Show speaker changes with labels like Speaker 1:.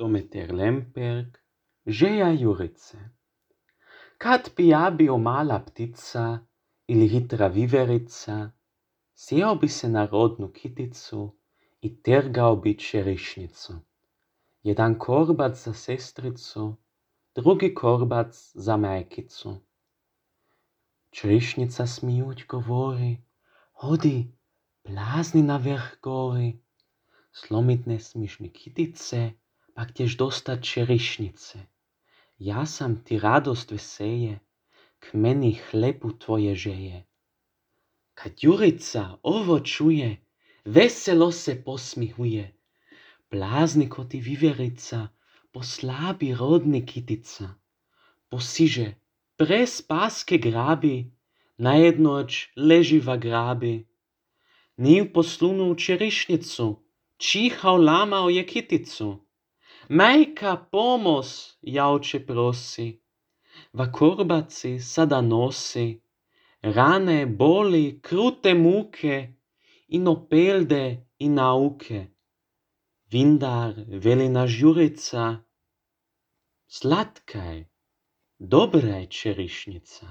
Speaker 1: Dometer Lemperk, Žeja Jurice. Kad bio mala ptica ili hitra viverica, sjeo bi se na rodnu kiticu i tergao bi čerišnicu. Jedan korbac za sestricu, drugi korbac za majkicu. Čerišnica smijuć govori: Hodi, plazni na vrh gori. Slomit ne smiš ni kitice, pak ćeš dostat čerišnice. Ja sam ti radost veseje, k meni hlebu tvoje žeje. Kad Jurica ovo čuje, veselo se posmihuje. Blazni ko ti viverica, poslabi rodni kitica. Posiže, prez paske grabi, na jednoć leživa grabi. Ni u poslunu u čerišnicu, čihao lamao je kiticu. Majka pomos, jauče prosi, va korbaci sada nosi, rane, boli, krute muke, ino pelde i nauke. Vindar veli naš Jurica, slatka je, dobra je čerišnica.